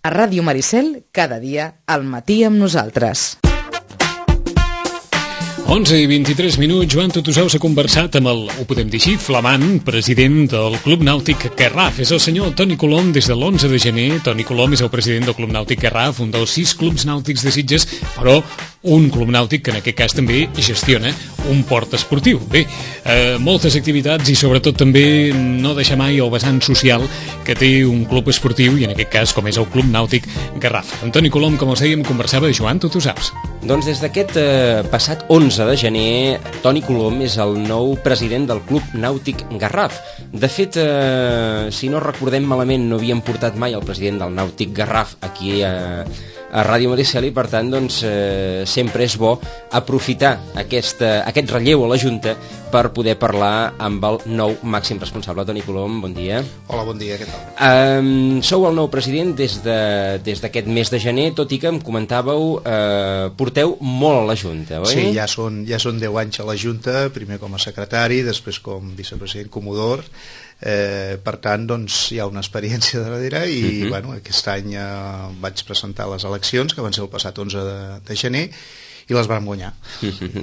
A Ràdio Maricel, cada dia, al matí amb nosaltres. 11:23. Joan Tutusau s'ha conversat amb el, ho podem dir així, flamant president del Club Nàutic Garraf. És el senyor Toni Colom des de l'11 de gener. Toni Colom és el president del Club Nàutic Garraf, un dels 6 clubs nàutics de Sitges, però un club nàutic que en aquest cas també gestiona un port esportiu. Bé, moltes activitats i sobretot també no deixar mai el vessant social que té un club esportiu i en aquest cas com és el Club Nàutic Garraf. Amb Toni Colom, com els dèiem, conversava de Joan Tutusaus. Doncs des d'aquest passat 11 de gener, Toni Colom és el nou president del Club Nàutic Garraf. De fet, si no recordem malament, no havíem portat mai el president del Nàutic Garraf aquí a Ràdio Maricel i per tant doncs, sempre és bo aprofitar aquest relleu a la Junta per poder parlar amb el nou màxim responsable. Toni Colom, bon dia. Hola, bon dia, què tal? Sou el nou president des d'aquest mes de gener, tot i que em comentàveu, porteu molt a la Junta, oi? Sí, ja són 10 anys a la Junta, primer com a secretari, després com vicepresident comodor. Per tant, doncs, hi ha una experiència darrere i bueno, aquest any vaig presentar les eleccions, que van ser el passat 11 de gener, i les vam guanyar.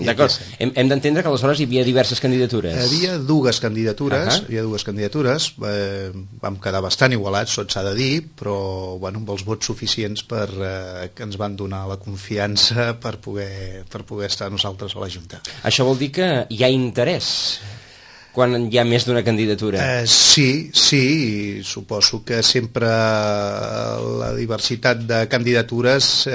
D'acord, hem d'entendre que aleshores hi havia diverses candidatures. Hi havia dues candidatures, vam quedar bastant igualats, tot s'ha de dir, però bueno, amb els vots suficients que ens van donar la confiança per poder estar nosaltres a la Junta. Això vol dir que hi ha interès quan hi ha més d'una candidatura? Sí, suposo que sempre la diversitat de candidatures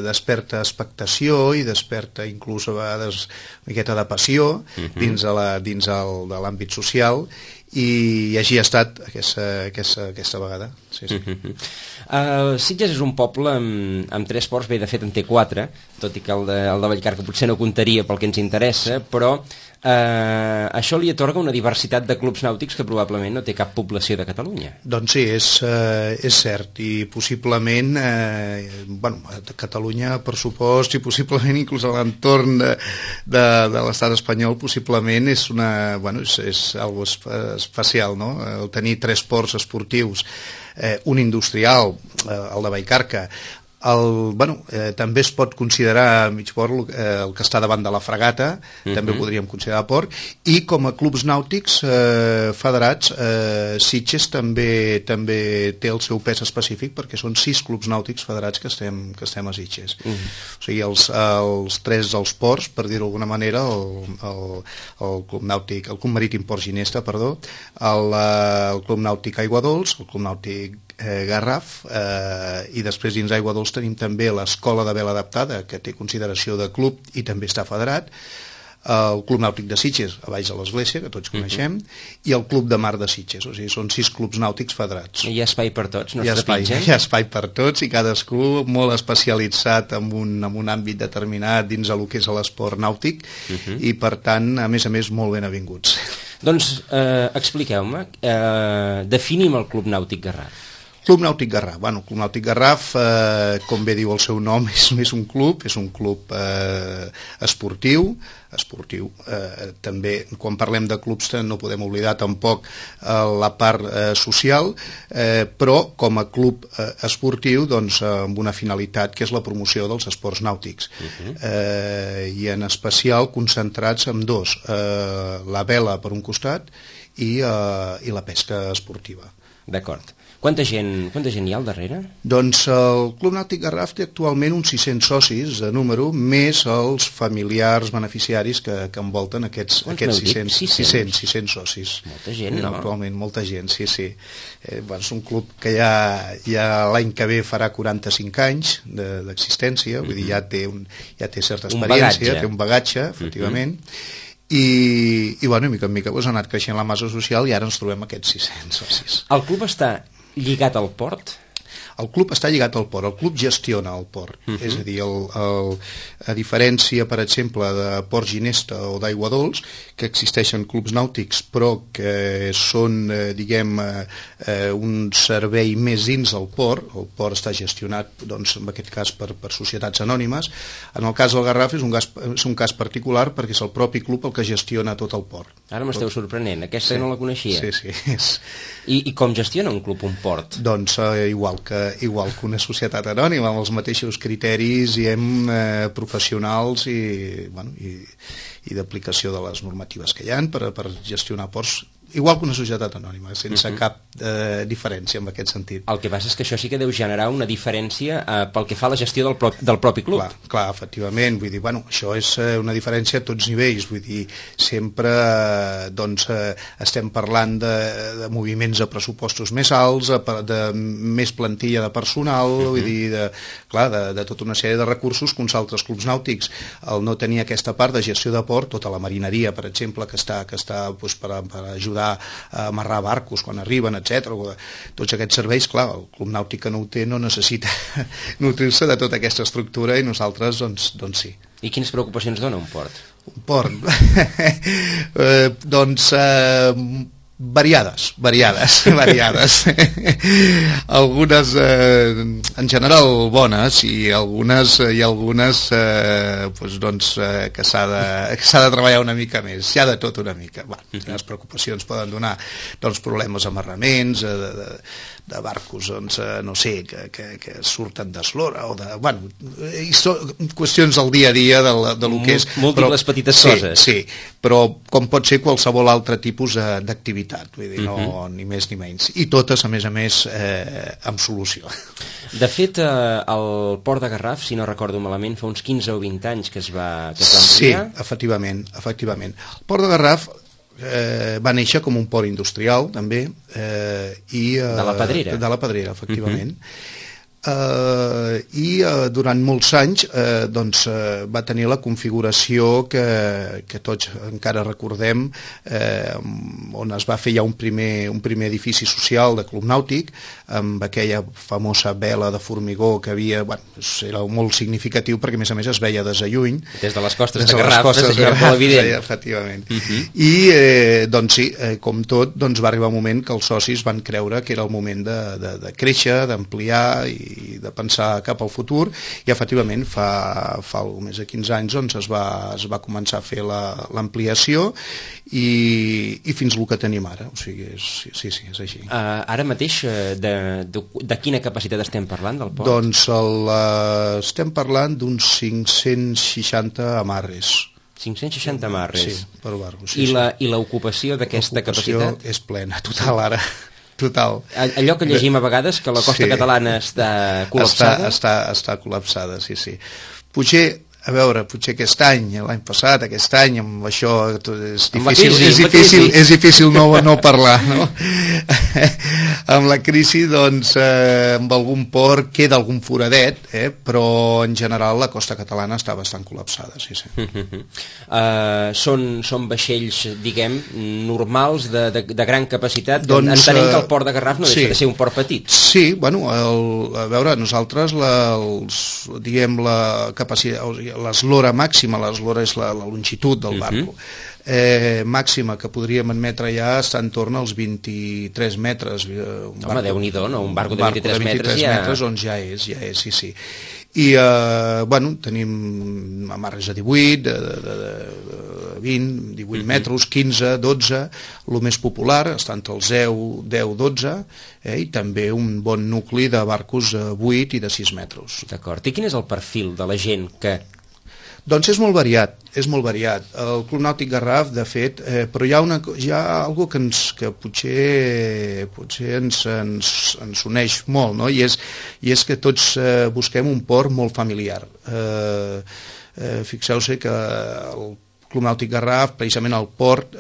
desperta expectació i desperta inclús a vegades una miqueta de passió dins de l'àmbit social, i així ha estat aquesta vegada. Sí. Sitges és un poble amb 3 ports, bé, de fet en té 4, tot i que el de Vallcarca potser no comptaria pel que ens interessa, però això li atorga una diversitat de clubs nàutics que probablement no té cap població de Catalunya. Doncs sí, és cert, i possiblement a Catalunya, per supost, i possiblement inclús a l'entorn de l'estat espanyol, possiblement és algo especial, no? El tenir 3 ports esportius, un industrial, el de Vallcarca, també es pot considerar mig port el que està davant de la Fragata, també ho podríem considerar port, i com a clubs nàutics federats, Sitges també té el seu pes específic, perquè són 6 clubs nàutics federats que estem a Sitges. O sigui, els 3 dels ports, per dir-ho d'alguna manera, el Club Marítim Port Ginesta, el Club Nàutic Aigua Dols, el Club Nàutic Garraf, i després dins Aigua Dols tenim també l'Escola de Vela Adaptada, que té consideració de club i també està federat, el Club Nàutic de Sitges, a baix de l'església, que tots coneixem, i el Club de Mar de Sitges. O sigui, són 6 clubs nàutics federats. Hi ha espai per tots, no es trepitgen? Hi ha espai per tots, i cadascú molt especialitzat en un àmbit determinat dins del que és l'esport nàutic, i per tant, a més, molt ben avinguts. Doncs expliqueu-me, definim el Club Nàutic Garraf. Club Nàutic Garraf. El Club Nàutic Garraf, com bé diu el seu nom, és un club esportiu. També, quan parlem de clubs, no podem oblidar tampoc la part social, però com a club esportiu, doncs, amb una finalitat que és la promoció dels esports nàutics. I en especial concentrats en 2, la vela per un costat i la pesca esportiva. D'acord. Quanta gent hi ha al darrere? Doncs el Club Nàutic Garraf té actualment uns 600 socis de número, més els familiars beneficiaris que envolten aquests 600 socis. Molta gent, no? Actualment, molta gent, sí. És un club que ja l'any que ve farà 45 anys d'existència, vull dir, ja té certa experiència, té un bagatge, efectivament, i mica en mica ha anat creixent la massa social i ara ens trobem aquests 600 socis. El club està lligat al port? El club està lligat al port, el club gestiona el port, és a dir, a diferència, per exemple, de Port Ginesta o d'Aigua Dols, que existeixen clubs nàutics, però que són, un servei més dins del port. El port està gestionat, doncs, en aquest cas, per societats anònimes. En el cas del Garraf és un cas particular perquè és el propi club el que gestiona tot el port. Ara m'esteu sorprenent, aquesta no la coneixia. Sí. I com gestiona un club un port? Doncs igual que igual que una societat anònima, amb els mateixos criteris professionals i d'aplicació de les normatives que hi ha per gestionar ports, igual que una societat anònima, sense cap diferència en aquest sentit. El que passa és que això sí que deu generar una diferència pel que fa a la gestió del propi club. Clar, efectivament, vull dir, això és una diferència a tots nivells, vull dir, sempre estem parlant de moviments de pressupostos més alts, de més plantilla de personal, vull dir, de tota una sèrie de recursos que uns altres clubs nàutics, al no tenir aquesta part de gestió de port, tota la marineria, per exemple, que està per ajudar a amarrar barcos quan arriben, etc. Tots aquests serveis, clar, el Club Nàutic que no ho té no necessita nutrir-se de tota aquesta estructura i nosaltres, doncs sí. I quines preocupacions dona un port? Un port? Variades. Algunes en general bones i algunes que s'ha de treballar una mica més, hi ha de tot una mica. Les preocupacions poden donar problemes amarraments de barcos, no sé, que surten d'eslora o de... qüestions del dia a dia de lo que és... Múltiples petites coses. Sí, però com pot ser qualsevol altre tipus d'activitat, vull dir, no, ni més ni menys. I totes, a més, amb solució. De fet, el port de Garraf, si no recordo malament, fa uns 15 o 20 anys que es va ampliar. Sí, efectivament. El port de Garraf va néixer com un port industrial, també. De la Pedrera. De la Pedrera, efectivament. I durant molts anys va tenir la configuració que tots encara recordem, on es va fer ja un primer edifici social de Club Nàutic, amb aquella famosa vela de formigó que havia, era molt significatiu perquè a més es veia des de lluny, des de les costes de Garraf, era molt evident. Efectivament. I sí, com tot, va arribar un moment que els socis van creure que era el moment de créixer, d'ampliar i de pensar cap al futur, i efectivament fa més de 15 anys es va començar a fer l'ampliació i fins el que tenim ara, o sigui, sí, és així. Ara mateix, de quina capacitat estem parlant del port? Doncs estem parlant d'uns 560 amarres. 560 amarres? Sí, per barco. I l'ocupació d'aquesta capacitat? L'ocupació és plena, total, ara. Total. Allò que llegim a vegades, que la costa catalana està col·lapsada? Està col·lapsada, sí. Potser aquest any, l'any passat, aquest any, amb això és difícil no parlar, no? Amb la crisi, amb algun port queda algun foradet, però en general la costa catalana està bastant col·lapsada, sí. Són vaixells, diguem, normals, de gran capacitat, entenem que el port de Garraf no deixa de ser un port petit. Sí, a veure, nosaltres la capacitat, l'eslora màxima, l'eslora és la longitud del barco, màxima que podríem admetre ja està en torn als 23 metres. Home, Déu-n'hi-do, no? Un barco de 23 metres on ja és, sí. I, tenim amarres de 18, de 20, 18 metres, 15, 12, el més popular està entre els 10, 12, i també un bon nucli de barcos 8 i de 6 metres. D'acord. I quin és el perfil de la gent que... Doncs és molt variat. El Club Nàutic Garraf, de fet, però hi ha algo que potser ens uneix molt, no? I és que tots busquem un port molt familiar. Fixeu-se que el Club Nàutic Garraf, precisament el port,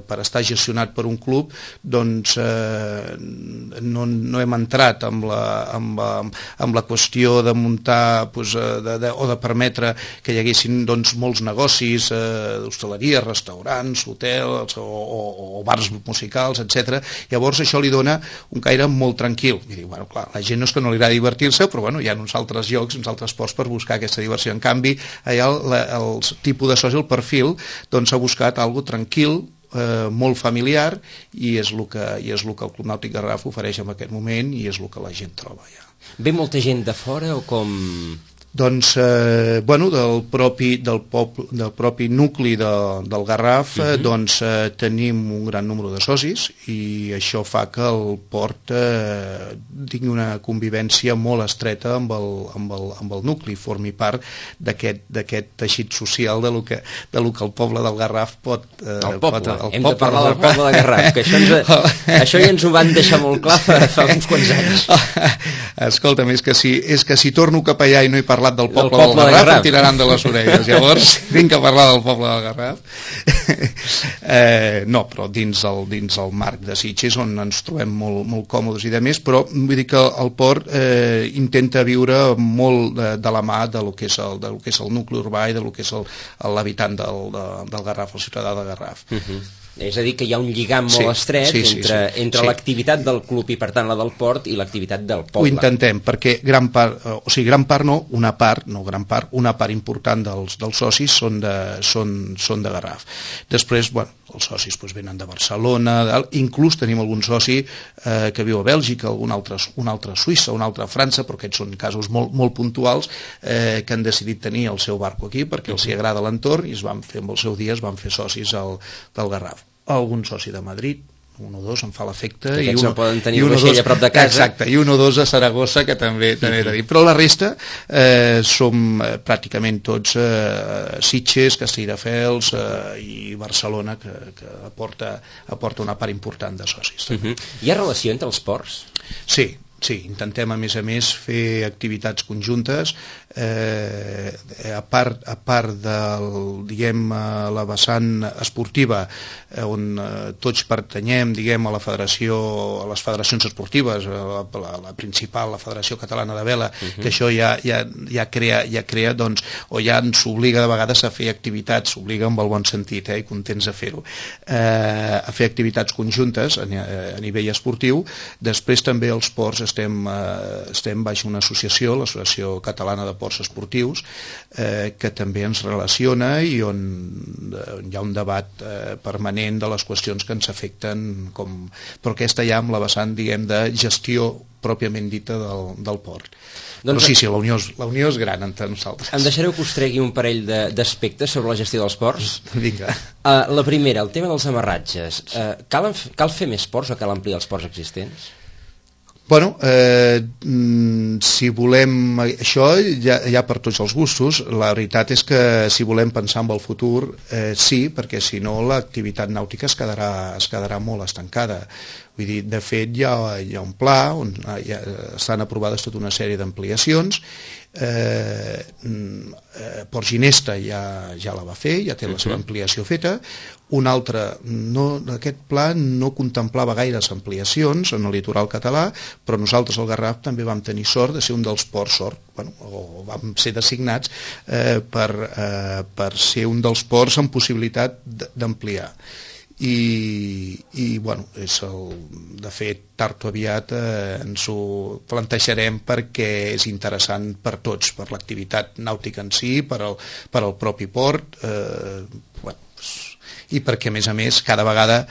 per estar gestionat per un club, doncs no hem entrat amb la qüestió de muntar o de permetre que hi haguessin molts negocis d'hostaleria, restaurants, hotels o bars musicals, etc. Llavors això li dona un caire molt tranquil. I diu, clar, la gent no és que no li agrada divertir-se, però hi ha uns altres llocs, uns altres ports per buscar aquesta diversió. En canvi, allà el tipus de soci, el perfil, doncs ha buscat algo tranquil, molt familiar, i és el que el Club Nàutic Garraf ofereix en aquest moment i és el que la gent troba ja. Ve molta gent de fora o com Doncs, del propi nucli del Garraf, doncs tenim un gran número de socis i això fa que el port tingui una convivència molt estreta amb el nucli, formi part d'aquest teixit social de lo que el poble del Garraf pot... Hem de parlar del poble del Garraf, que això ja ens ho van deixar molt clar fa uns quants anys. Escolta'm, és que si torno cap allà i no he parlat del poble del Garraf, em tiraran de les orelles. Llavors, vinc a parlar del poble del Garraf. No, però dins el marc de Sitges, on ens trobem molt còmodes i de més, però vull dir que el port intenta viure molt de la mà de lo que és el nucli urbà i de lo que és l'habitant del Garraf, el ciutadà de Garraf. És a dir, que hi ha un lligam molt estret entre l'activitat del club i per tant la del port i l'activitat del poble. Ho intentem, perquè una part important dels socis són de Garraf. Després, els socis venen de Barcelona, inclús tenim algun soci que viu a Bèlgica, un altre a Suïssa, un altre a França, però aquests són casos molt puntuals, que han decidit tenir el seu barco aquí perquè els agrada l'entorn i amb el seu dia es van fer socis del Garraf. Algun soci de Madrid, un o dos em fa l'efecte, i no poden tenir un vaixell a prop de casa. Exacte, i un o dos a Saragossa, que també he de dir, però la resta som pràcticament tots Sitges, Castelldefels i Barcelona, que aporta una part important de socis. Hi ha relació entre els ports? Sí, intentem a més fer activitats conjuntes, a part la vessant esportiva, on tots pertanyem a les federacions esportives, la principal, la Federació Catalana de Vela, que això ja crea, doncs, o ja ens obliga de vegades a fer activitats, s'obliga amb el bon sentit, i contents de fer-ho, a fer activitats conjuntes a nivell esportiu. Després també els ports estem baix una associació, l'Associació Catalana de Ports Esportius, que també ens relaciona i on hi ha un debat permanent de les qüestions que ens afecten, però aquesta ja amb la vessant, de gestió pròpiament dita del port. Però sí, la unió és gran entre nosaltres. Em deixareu que us tregui un parell d'aspectes sobre la gestió dels ports? Vinga. La primera, el tema dels amarratges. Cal fer més ports o cal ampliar els ports existents? Si volem això, hi ha per tots els gustos. La veritat és que si volem pensar en el futur, sí, perquè si no l'activitat nàutica es quedarà molt estancada. Vull dir, de fet, hi ha un pla on estan aprovades tota una sèrie d'ampliacions. Port Ginesta ja la va fer, ja té la seva ampliació feta. Un altre, aquest pla no contemplava gaires ampliacions en el litoral català, però nosaltres al Garraf també vam tenir sort de ser un dels ports, o vam ser designats per ser un dels ports amb possibilitat d'ampliar. De fet, tard o aviat ens ho plantejarem perquè és interessant per tots, per l'activitat nàutica en si, per al propi port, i perquè a més cada vegada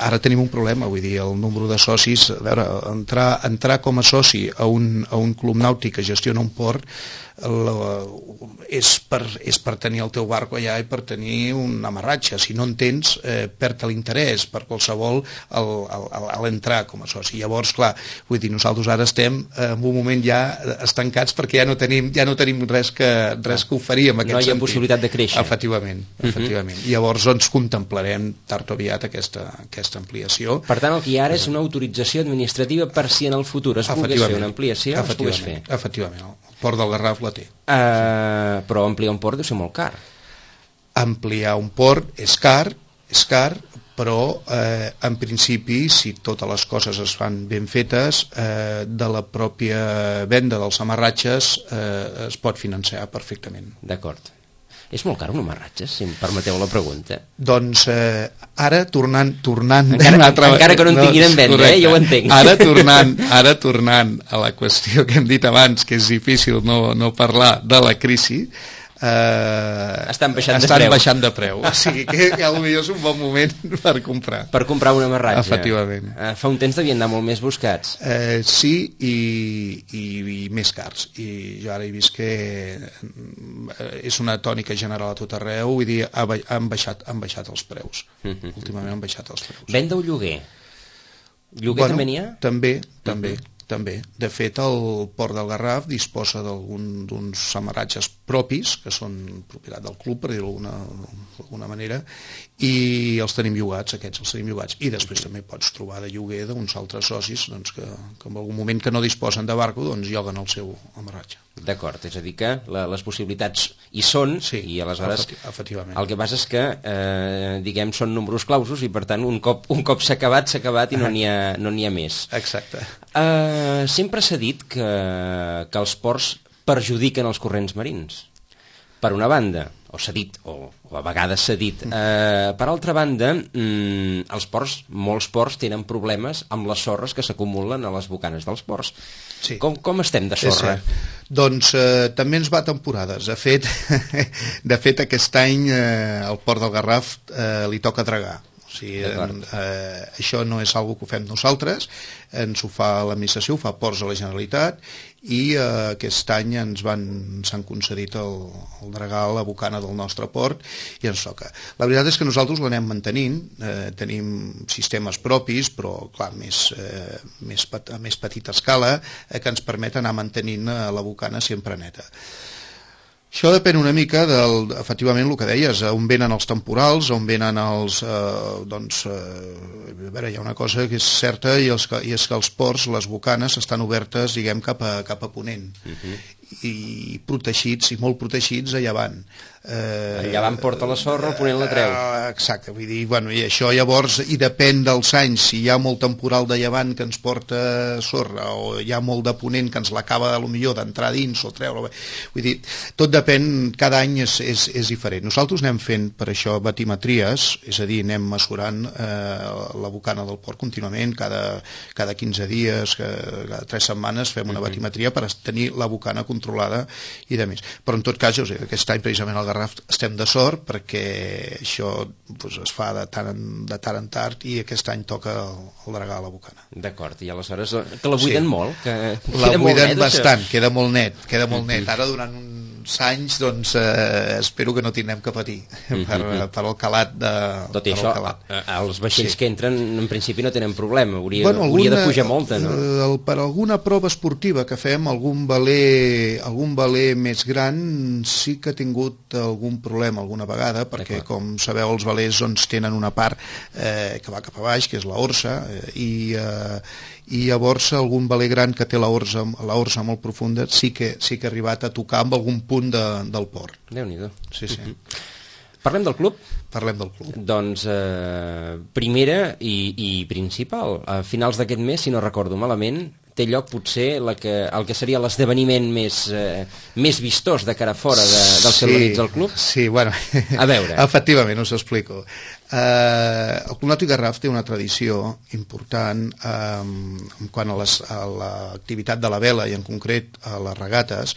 ara tenim un problema, vull dir, el número de socis, a veure, entrar com a soci a un club nàutic que gestiona un port és per tenir el teu barco allà i per tenir un amarratge. Si no en tens, perd l'interès per qualsevol a l'entrar com a soci. Llavors, clar, vull dir, nosaltres ara estem en un moment ja estancats perquè ja no tenim res que oferir en aquest sentit. No hi ha possibilitat de créixer. Efectivament. I llavors ens contemplarem tard o aviat aquesta ampliació. Per tant, el que hi ha ara és una autorització administrativa per si en el futur es pogués fer una ampliació, es pogués fer. Efectivament, el Port del Garraf la té. Però ampliar un port deu ser molt car. Ampliar un port és car, però en principi, si totes les coses es fan ben fetes, de la pròpia venda dels amarratges es pot financiar perfectament. D'acord. És molt car un amarratge, si em permeteu la pregunta? Doncs ara tornant... Encara que no en tinguin en venda, ja ho entenc. Ara tornant a la qüestió que hem dit abans, que és difícil no parlar de la crisi, estan baixant de preu. O sigui que potser és un bon moment per comprar. Per comprar un amarratge. Efectivament. Fa un temps devien anar molt més buscats. Sí, i més cars. I jo ara he vist que és una tònica general a tot arreu, vull dir, han baixat els preus. Últimament han baixat els preus. Venda o lloguer? Lloguer també n'hi ha? També. De fet, el Port del Garraf disposa d'uns amarratges propis, que són propietat del club, per dir-ho d'alguna manera, i els tenim llogats, I després també pots trobar de lloguer d'uns altres socis que en algun moment que no disposen de barco, doncs lloguen el seu amarratge. D'acord, és a dir que les possibilitats hi són, sí, i aleshores efectivament. El que passa és que, diguem, són números clausos i per tant un cop s'ha acabat i no n'hi ha més. Exacte. Sempre s'ha dit que els ports perjudiquen els corrents marins. Per una banda, o s'ha dit, o a vegades s'ha dit, per altra banda, molts ports tenen problemes amb les sorres que s'acumulen a les bocanes dels ports. Sí. Com estem de sorra? Doncs també ens va temporades. De fet aquest any al Port del Garraf li toca dragar. O sigui, això no és algo que ho fem nosaltres, ens ho fa l'administració, ho fa Ports de la Generalitat, i aquest any s'han concedit el dragar a la bocana del nostre port i ens toca. La veritat és que nosaltres l'anem mantenint, tenim sistemes propis, però clar, a més petita escala, que ens permet anar mantenint la bocana sempre neta. Això depèn una mica efectivament, el que deies, on venen els temporals, on venen els... a veure, hi ha una cosa que és certa i és que els ports, les bocanes, estan obertes, diguem, cap a ponent. I protegits, i molt protegits a llevant. El llevant porta la sorra, el ponent la treu. Exacte, vull dir, i això llavors, i depèn dels anys, si hi ha molt temporal de llevant que ens porta sorra, o hi ha molt de ponent que ens l'acaba d'entrar dins o treure, vull dir, tot depèn, cada any és diferent. Nosaltres anem fent per això batimetries, és a dir, anem mesurant la bocana del port contínuament, cada 15 dies, cada 3 setmanes fem una batimetria per tenir la bocana controlada i de més. Però en tot cas, aquest any precisament al Garraf estem de sort perquè això es fa de tant en tard i aquest any toca el dragar a la bocana. D'acord, i aleshores que la buiden molt? La buiden bastant, queda molt net. Ara durant uns anys doncs espero que no tindrem que patir per el calat de... Tot i això, els vaixells que entren en principi no tenen problema, hauria de pujar molta, no? Per alguna prova esportiva que fem, algun veler més gran sí que ha tingut algun problema alguna vegada, perquè com sabeu els velers tenen una part que va cap a baix, que és la orsa, i llavors algun veler gran que té la orsa molt profunda sí que ha arribat a tocar amb algun punt del port. Déu-n'hi-do. Sí. Parlem del club? Parlem del club. Doncs primera i principal, a finals d'aquest mes, si no recordo malament, té lloc potser el que seria l'esdeveniment més vistós de cara fora dels que organitza el club? Sí, bueno, a veure. Efectivament, us ho explico. El Club Nàutic Garraf té una tradició important quant a l'activitat de la vela i en concret a les regates.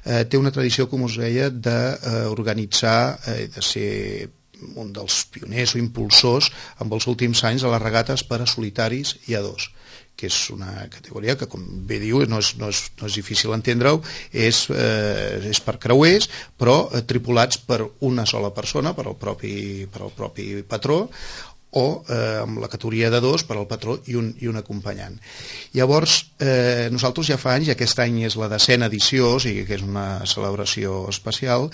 Té una tradició, com us deia, d'organitzar, de ser un dels pioners o impulsors en els últims anys a les regates per a solitaris i a dos, que és una categoria que, com bé diu, no és difícil entendre-ho, és per creuers, però tripulats per una sola persona, per al propi patró, o amb la categoria de dos per al patró i un acompanyant. Llavors, nosaltres ja fa anys, i aquest any és la 10ª edició, o sigui que és una celebració especial,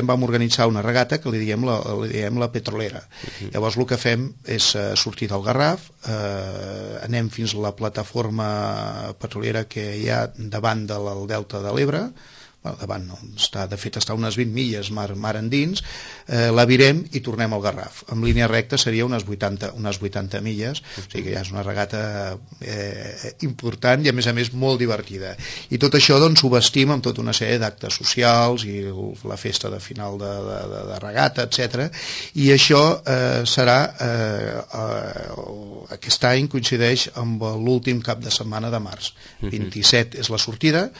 vam organitzar una regata que li diem la petrolera. Llavors el que fem és sortir del Garraf, anem fins a la plataforma petrolera que hi ha davant del delta de l'Ebre, davant no, de fet està a unes 20 milles mar endins, la virem i tornem al Garraf. En línia recta seria unes 80 milles, o sigui que ja és una regata important i a més molt divertida. I tot això doncs ho vestim amb tota una sèrie d'actes socials i la festa de final de regata, etc. I això serà aquest any coincideix amb l'últim cap de setmana de març. 27 és la sortida,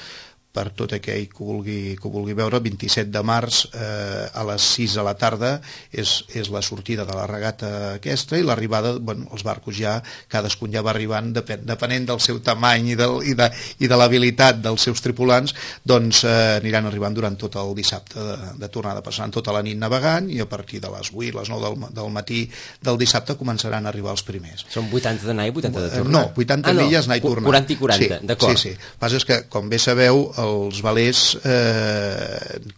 per tot aquell que ho vulgui veure. 27 de març a les 6 de la tarda és la sortida de la regata aquesta, i l'arribada, els barcos ja, cadascun ja va arribant, depenent del seu tamany i de l'habilitat dels seus tripulants, doncs aniran arribant durant tot el dissabte de tornada, passant tota la nit navegant, i a partir de les 8, les 9 del matí del dissabte començaran a arribar els primers. Són 80 d'anar i 80 de tornar? No, 80 milles anar i tornar. 40 i 40, d'acord. Sí. El que passa és que, com bé sabeu, els velers,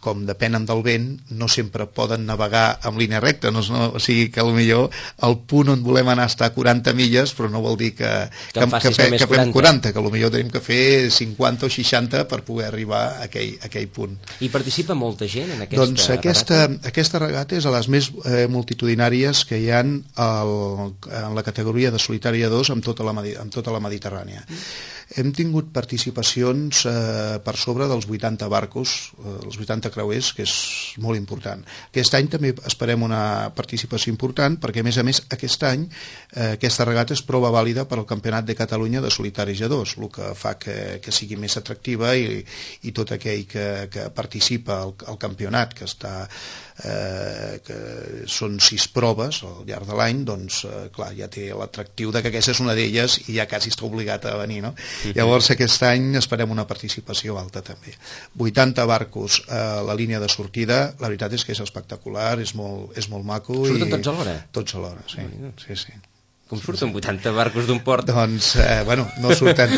com depenen del vent, no sempre poden navegar en línia recta, o sigui que potser el punt on volem anar està a 40 milles, però no vol dir que fem 40, que potser tenim que fer 50 o 60 per poder arribar a aquell punt. I participa molta gent en aquesta regata? Doncs aquesta regata és a les més multitudinàries que hi ha en la categoria de solitària 2 amb tota la Mediterrània. Hem tingut participacions per sobre dels 80 barcos, els 80 creuers, que és molt important. Aquest any també esperem una participació important, perquè a més aquest any aquesta regata és prova vàlida per al Campionat de Catalunya de solitaris a 2, el que fa que sigui més atractiva, i tot aquell que participa al campionat, que són 6 proves al llarg de l'any, doncs clar, ja té l'atractiu de que aquesta és una d'elles i ja quasi està obligat a venir, no? Llavors aquest any esperem una participació alta també. 80 barcos a la línia de sortida, la veritat és que és espectacular, és molt maco. Surten tots alhora? Tots alhora, sí. Com surten 80 barcos d'un port? Doncs, no surten.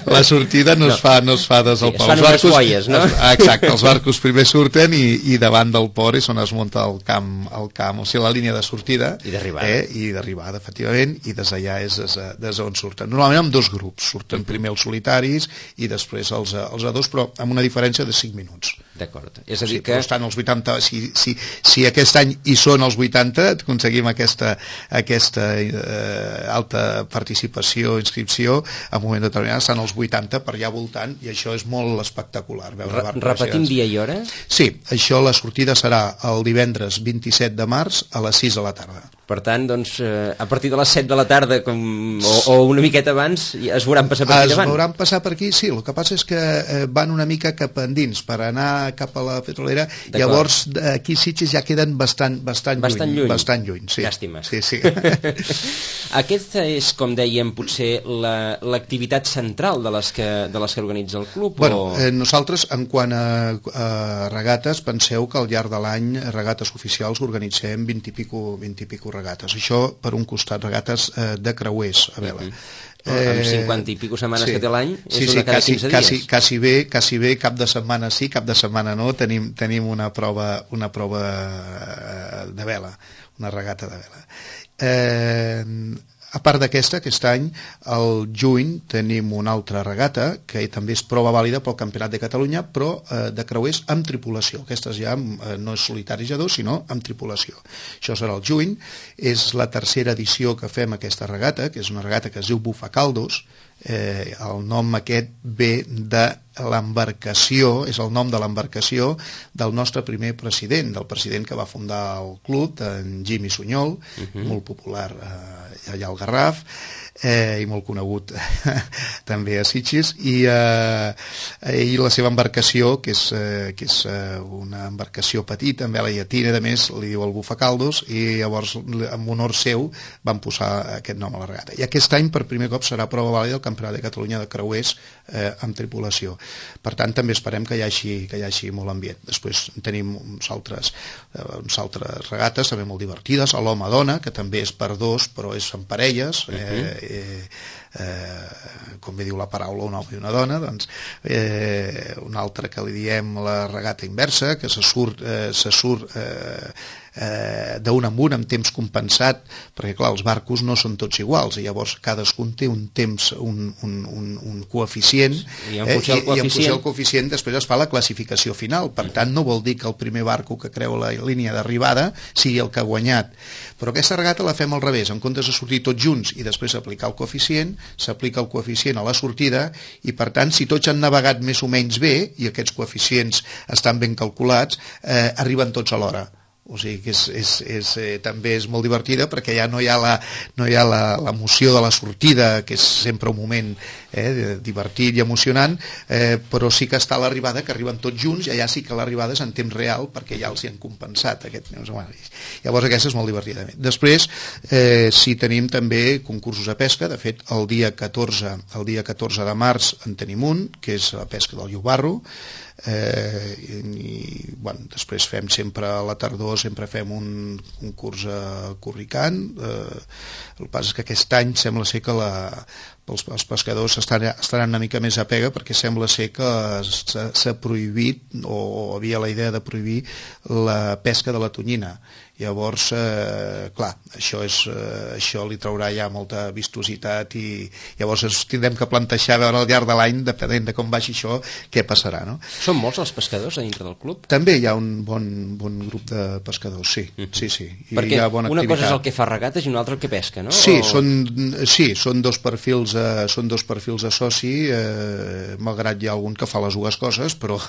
La sortida no es fa des del port. Es fan unes guaies, no? Exacte, els barcos primer surten i davant del port és on es munta el camp, o sigui, la línia de sortida. I d'arribada. I d'arribada, efectivament, i des d'allà és des d'on surten. Normalment amb 2 grups, surten primer els solitaris i després els A2, però amb una diferència de 5 minuts. D'acord. És a dir que... estan els 80, si aquest any hi són els 80, aconseguim aquesta alta participació, inscripció, en un moment determinat estan els 80 per allà voltant, i això és molt espectacular. Repetim dia i hora? Sí, això, la sortida serà el divendres 27 de març a les 6 de la tarda. Per tant, doncs, a partir de les 7 de la tarda o una miqueta abans es veuran passar per aquí davant? Es veuran passar per aquí, sí. El que passa és que van una mica cap endins per anar cap a la petrolera. Llavors aquí Sitges ja queden bastant lluny. Bastant lluny, sí. Llàstima. Sí. Aquesta és, com dèiem, potser l'activitat central de les que organitza el club? Nosaltres, en quant a regates, penseu que al llarg de l'any regates oficials organitzem 20 i pico regates. Això, per un costat, regates de creuers a vela. Amb 50 i pico setmanes que té l'any, és una cada 15 dies. Quasi bé, cap de setmana sí, cap de setmana no, tenim una prova de vela, una regata de vela. A part d'aquesta, aquest any, al juny, tenim una altra regata, que també és prova vàlida pel Campionat de Catalunya, però de creuers amb tripulació. Aquestes ja no és solitari ja 2, sinó amb tripulació. Això serà al juny. És la tercera edició que fem aquesta regata, que és una regata que es diu Bufacaldos. El nom aquest ve de l'embarcació, és el nom de l'embarcació del nostre primer president, del president que va fundar el club, en Jimmy Sunyol, molt popular allà al Garraf, i molt conegut també a Sitges, i la seva embarcació, que és una embarcació petita, amb vela llatina, a més li diu el Bufacaldos, i llavors en honor seu van posar aquest nom a la regata. I aquest any per primer cop serà prova vàlida del Campionat de Catalunya de creuers amb tripulació. Per tant, també esperem que hi hagi molt ambient. Després tenim uns altres regates també molt divertides, a l'home-dona, que també és per 2, però és en parelles, com bé diu la paraula, un home i una dona. Doncs una altra que li diem la regata inversa, que se surt d'un en un amb temps compensat, perquè clar, els barcos no són tots iguals, i llavors cadascun té un temps, un coeficient, i en funció del coeficient després es fa la classificació final. Per tant, no vol dir que el primer barco que creu la línia d'arribada sigui el que ha guanyat. Però aquesta regata la fem al revés. En comptes de sortir tots junts i després aplicar el coeficient, s'aplica el coeficient a la sortida, i per tant, si tots han navegat més o menys bé, i aquests coeficients estan ben calculats, arriben tots alhora. O sigui que també és molt divertida, perquè ja no hi ha l'emoció de la sortida, que és sempre un moment divertit i emocionant, però sí que està a l'arribada, que arriben tots junts, i allà sí que l'arribada és en temps real, perquè ja els hi han compensat llavors aquesta és molt divertida. Després sí tenim també concursos de pesca. De fet el dia 14 de març en tenim un, que és la pesca del llobarro, després fem sempre a la tardor un concurs corricant. El que passa és que aquest any sembla ser que els pescadors estaran una mica més a pega, perquè sembla ser que s'ha prohibit, o havia la idea de prohibir la pesca de la tonyina. Llavors, clar, això li traurà ja molta vistositat, i llavors ens tindrem que plantejar a veure al llarg de l'any, depenent de com vagi això, què passarà, no? Són molts els pescadors a dintre del club? També hi ha un bon grup de pescadors, sí. Sí. I perquè hi ha bona una activitat. cosa és el que fa regates i una altra el que pesca, no? Sí, són dos perfils de soci, malgrat hi ha algun que fa les dues coses, però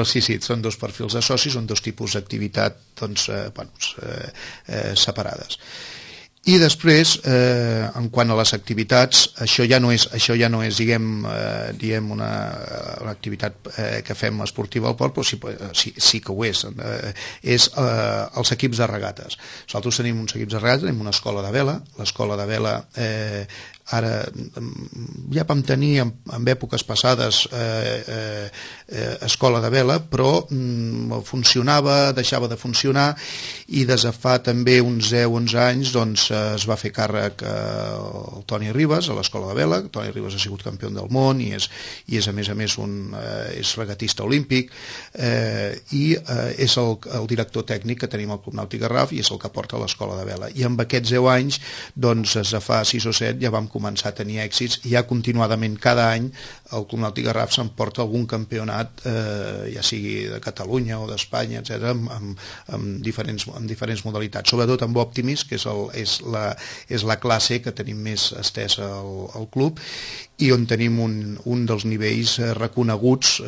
sí, són dos perfils de soci, són dos tipus d'activitat, separades. I després, en quant a les activitats, això ja no és diguem una activitat que fem esportiva al port, però sí que ho és. És els equips de regates. Nosaltres tenim uns equips de regates, tenim una escola de vela. L'escola de vela ara ja vam tenir en èpoques passades escola de vela, però funcionava, deixava de funcionar, i des de fa també uns 10-11 anys doncs es va fer càrrec el Toni Ribas a l'escola de vela. Toni Ribas ha sigut campió del món i és a més és regatista olímpic, i és el director tècnic que tenim al Club Nàutic Garraf, i és el que porta l'escola de vela. I amb aquests 10 anys, doncs des de fa 6 o 7 ja vam començar a tenir èxits, i ja continuadament cada any el Club Nàutic Garraf s'emporta algun campionat, ja sigui de Catalunya o d'Espanya, etc., amb diferents modalitats, sobretot amb Optimis, que és la classe que tenim més estesa al club, i on tenim un dels nivells reconeguts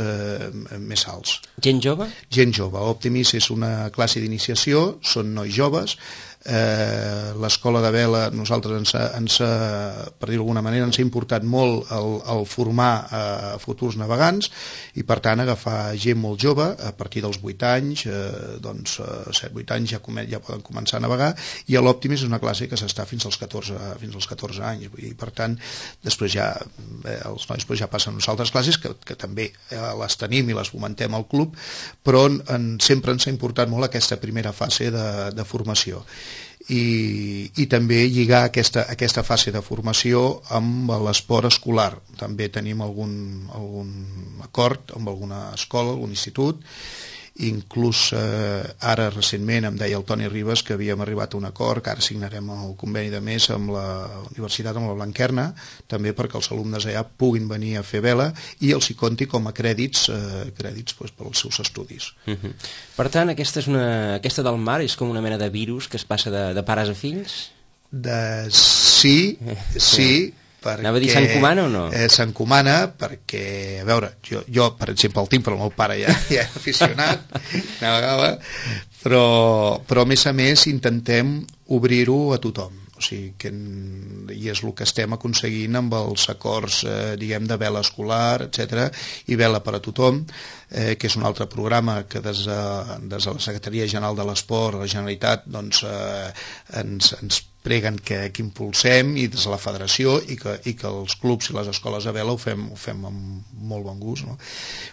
més alts. Gent jove? Gent jove. Optimis és una classe d'iniciació, són nois joves. L'escola de vela, nosaltres per dir-ho d'alguna manera, ens ha importat molt el formar futurs navegants, i per tant agafar gent molt jove a partir dels 8 anys, 7-8 anys ja poden començar a navegar, i a l'Optimis és una classe que s'està fins als 14 anys, i per tant després ja els nois ja passen a unes altres classes que també les tenim i les fomentem al club, però sempre ens ha importat molt aquesta primera fase de formació. I també lligar aquesta fase de formació amb l'esport escolar. També tenim algun acord amb alguna escola, algun institut. Inclús ara recentment em deia el Toni Ribas que havíem arribat a un acord, que ara signarem el conveni de mes amb la Universitat, amb la Blanquerna, també perquè els alumnes allà puguin venir a fer vela i els hi compti com a crèdits pels seus estudis. Per tant, aquesta del mar és com una mena de virus que es passa de pares a fills? Sí, anava a dir, s'encomana o no? S'encomana perquè, a veure, jo per exemple el tinc, però el meu pare ja és aficionat, navegava, però a més intentem obrir-ho a tothom. O sigui, i és el que estem aconseguint amb els acords diguem de vela escolar, etc., i vela per a tothom, que és un altre programa que des de la Secretaria General de l'Esport, la Generalitat, doncs ens preguen que impulsem, i des de la federació, i que els clubs i les escoles de vela ho fem amb molt bon gust, no?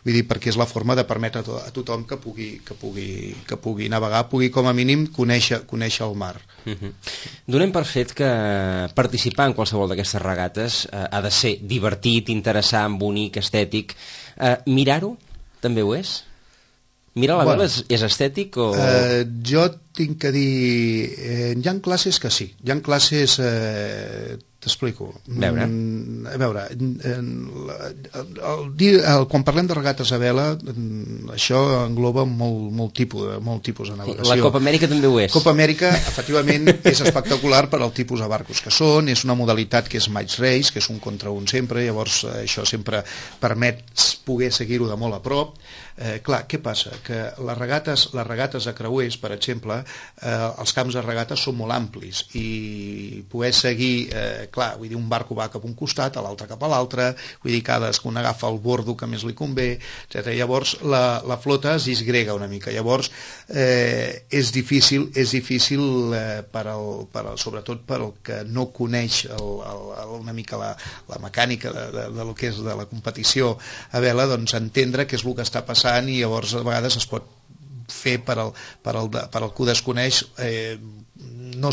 Vull dir, perquè és la forma de permetre a tothom que pugui navegar, pugui com a mínim conèixer el mar. Donem per fet que participar en qualsevol d'aquestes regates ha de ser divertit, interessant, bonic, estètic. Mirar-ho també ho és? Mirar la vela és estètic o...? Jo tinc que dir... hi ha classes que sí. Hi ha classes... T'explico. A veure, quan parlem de regates a vela, això engloba molt tipus de navegació. La Copa Amèrica també ho és. Copa Amèrica, efectivament, és espectacular per al tipus de barcos que són, és una modalitat que és match race, que és un contra un sempre, llavors això sempre permet poder seguir-ho de molt a prop. Clar, què passa? Que les regates a creuers, per exemple, els camps de regates són molt amplis i poder seguir, clar, vull dir, un barco va cap a un costat, l'altre cap a l'altre, vull dir, cadascun agafa el bordo que més li convé, etc. Llavors la flota es disgrega una mica. Llavors és difícil sobretot per al que no coneix una mica la mecànica de lo que és de la competició a vela, doncs entendre què és el que està passant, i llavors a vegades es pot fer per al que ho desconeix, no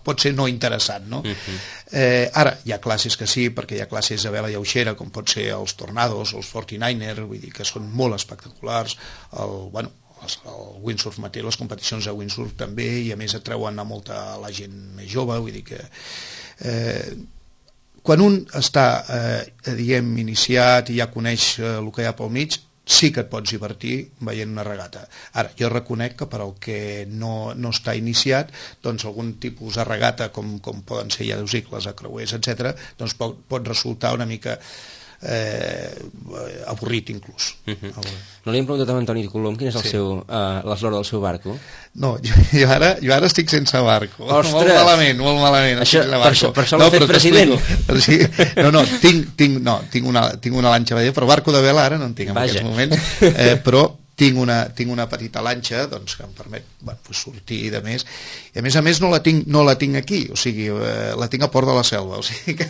pot ser no interessant, no? Ara hi ha classes que sí, perquè hi ha classes de vela lleugera, com pot ser els Tornados o els 49er, vull dir que són molt espectaculars. El windsurf mateix, les competicions de windsurf també, i a més atreuen a molta la gent més jove, vull dir que quan un està diguem iniciat i ja coneix el que hi ha pel mig, sí que et pots divertir veient una regata. Ara, jo reconec que per al que no està iniciat, doncs algun tipus de regata com poden ser, ja us dic, les acreuers, etc., doncs pot resultar una mica avorrit inclús. No li hem preguntat a Antoni Colom quin és l'eslora del seu barco? No, jo ara estic sense barco. Ostres! Molt malament. Per això l'ha fet president. Tinc una lanxa a vela, però barco de vela ara no en tinc en aquests moments, però tinc una petita lanxa, doncs, que em permet sortir i de més, i a més no la tinc aquí, o sigui, la tinc a Port de la Selva, o sigui que...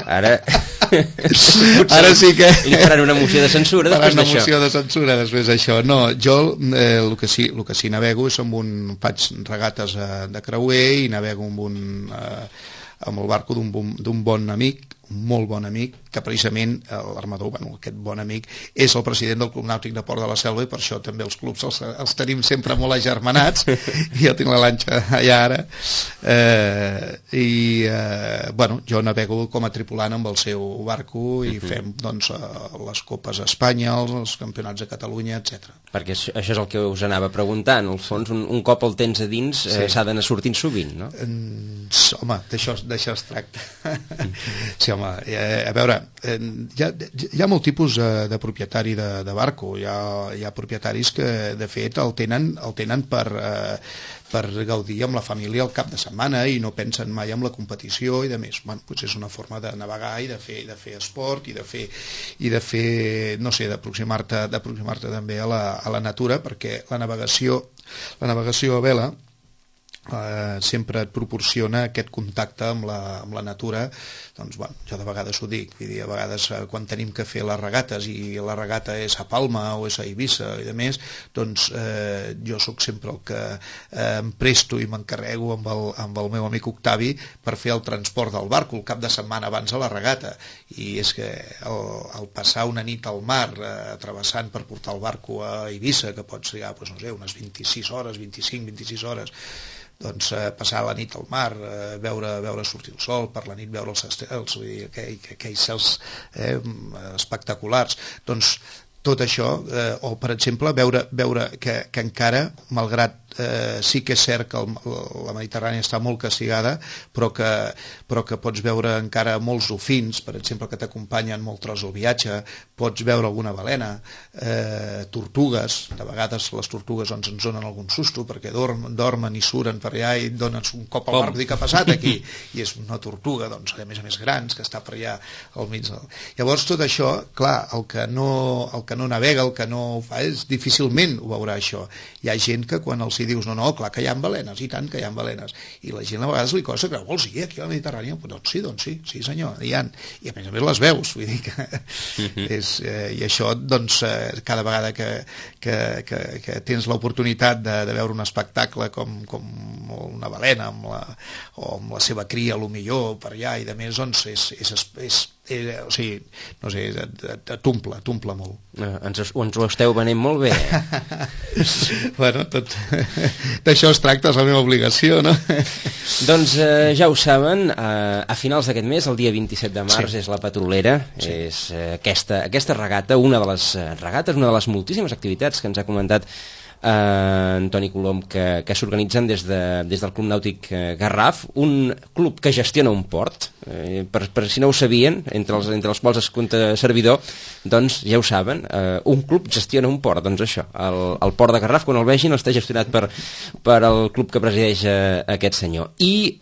Ara sí que... Li faran una moció de censura després d'això. Una moció de censura després d'això. No, jo el que sí navego és faig regates de creuer i navego amb el barco d'un bon amic, un molt bon amic, que precisament l'armador, aquest bon amic, és el president del Club Nàutic de Port de la Selva, i per això també els clubs els tenim sempre molt agermanats, i jo tinc la lanxa allà ara, jo navego com a tripulant amb el seu barco i fem les Copes a Espanya, els Campionats de Catalunya, etc. Perquè això és el que us anava preguntant, al fons, un cop el tens a dins s'ha d'anar sortint sovint, no? Home, d'això es tracta. Sí, home, a veure, hi ha molt tipus de propietari de barco. Hi ha propietaris que de fet el tenen per gaudir amb la família el cap de setmana i no pensen mai en la competició i de més. Potser és una forma de navegar i de fer esport i de fer no sé, d'aproximar-te també a la natura, perquè la navegació a vela sempre et proporciona aquest contacte amb la natura. Doncs jo de vegades ho dic, vull dir, a vegades quan tenim que fer les regates i la regata és a Palma o és a Eivissa i de més, doncs jo sóc sempre el que em presto i m'encarrego amb el meu amic Octavi per fer el transport del barco el cap de setmana abans de la regata, i és que el passar una nit al mar travessant per portar el barco a Eivissa, que pots trigar unes 26 hores, 26 hores, doncs passar la nit al mar, veure sortir el sol, per la nit veure els estels, vull dir, aquells cels espectaculars, doncs tot això, o per exemple veure que encara, malgrat sí que és cert que la Mediterrània està molt castigada, però que pots veure encara molts dofins, per exemple, que t'acompanyen molt tros el viatge, pots veure alguna balena, tortugues, de vegades les tortugues ens donen algun susto perquè dormen i suren per allà i donen un cop al barco, dic, què ha passat aquí? I és una tortuga, doncs, a més grans, que està per allà al mig del... Llavors tot això, clar, el que no navega, el que no ho fa, difícilment ho veurà això. Hi ha gent que quan els hi dius no, clar que hi ha balenes, i tant que hi ha balenes, i la gent a vegades li costa creure, vols dir aquí a la Mediterrània? Doncs sí senyor, hi ha, i a més les veus, vull dir que i això, doncs, cada vegada que tens l'oportunitat de veure un espectacle com una balena o amb la seva cria, millor per allà i de més, doncs o sigui, no sé, t'omple molt. Ens ho esteu venent molt bé. Bueno, d'això es tracta, és la meva obligació, no? Doncs ja ho saben, a finals d'aquest mes, el dia 27 de març, és la Petrolera, és aquesta regata, una de les regates, una de les moltíssimes activitats que ens ha comentat en Toni Colom, que s'organitzen des del Club Nàutic Garraf, un club que gestiona un port, per si no ho sabien, entre els quals es compta servidor, doncs ja ho saben, un club gestiona un port, doncs això, el port de Garraf, quan el vegin, està gestionat per el club que presideix aquest senyor. I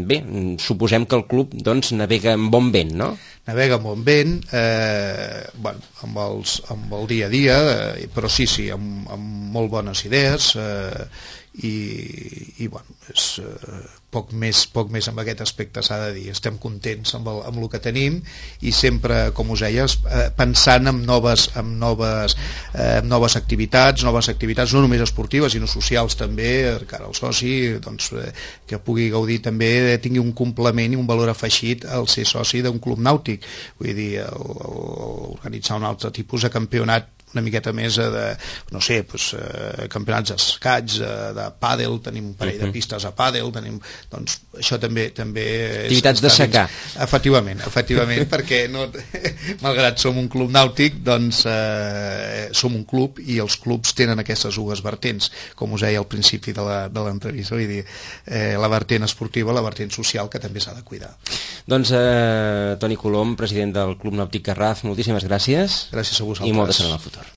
bé, suposem que el club doncs navega amb bon vent, no? Navega amb bon vent, amb el dia a dia, però sí, amb molt bones idees, i bueno, és poc més amb aquest aspecte s'ha de dir. Estem contents amb el que tenim i sempre, com us deia, pensant en noves activitats, no només esportives sinó socials també, que ara el soci doncs, que pugui gaudir també, tingui un complement i un valor afegit al ser soci d'un club nàutic, vull dir, organitzar un altre tipus de campionat una miqueta més de, no sé, campionats d'escaig, de pàdel, tenim un parell de pistes a pàdel, doncs això també activitats de secar. Efectivament, perquè malgrat som un club nàutic, doncs som un club i els clubs tenen aquestes dues vertents, com us deia al principi de l'entrevista, vull dir, la vertent esportiva, la vertent social, que també s'ha de cuidar. Doncs Toni Colom, president del Club Nàutic Garraf, moltíssimes gràcies. Gràcies a vosaltres. I molta sort en el futur.